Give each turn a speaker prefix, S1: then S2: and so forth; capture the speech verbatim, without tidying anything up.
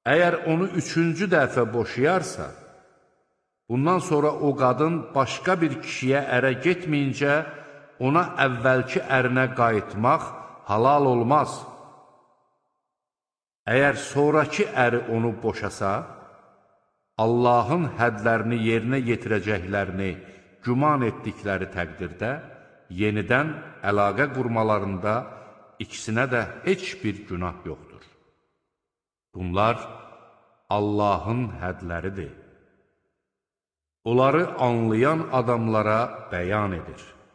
S1: Əgər onu üçüncü dəfə boşayarsa, bundan sonra o qadın başqa bir kişiyə ərə getməyincə, ona əvvəlki ərinə qayıtmaq halal olmaz. Əgər sonraki əri onu boşasa, Allahın hədlərini yerinə yetirəcəklərini güman etdikləri təqdirdə, yenidən əlaqə qurmalarında ikisinə də heç bir günah yoxdur. Bunlar Allahın hədləridir. Onları anlayan adamlara bəyan edir.